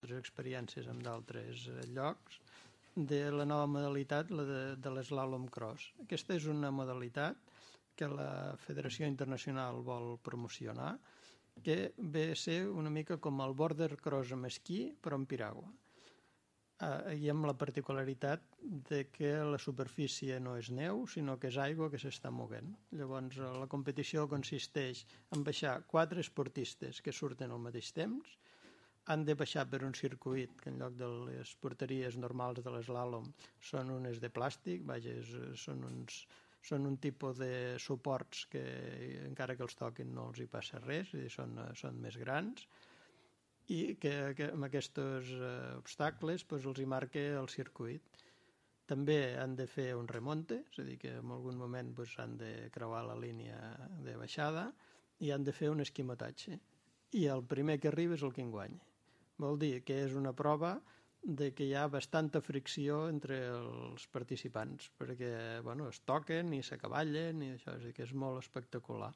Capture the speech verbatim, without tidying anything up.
altres experiències en d'altres llocs, de la nova modalitat, la de, de l'eslàlom cross. Aquesta és una modalitat que la Federació Internacional vol promocionar, que ve a ser una mica com el border cross amb esquí, però amb piragua. Uh, i amb la particularitat de que la superfície no és neu, sinó que és aigua que s'està movent. Llavors, la competició consisteix en baixar quatre esportistes que surten al mateix temps, han de baixar per un circuit que en lloc de les porteries normals de l'eslàlom són unes de plàstic, vaja, són, uns, són un tipus de suports que encara que els toquin no els hi passa res, i són, són més grans, i que, que amb aquests eh, obstacles pues, els hi marca el circuit. També han de fer un remonte, és a dir, que en algun moment pues, han de creuar la línia de baixada i han de fer un esquimotatge. I el primer que arriba és el que en guanya. Vol dir que és una prova de que hi ha bastanta fricció entre els participants, perquè bueno, es toquen i s'acavallen i això, és a dir, que és molt espectacular.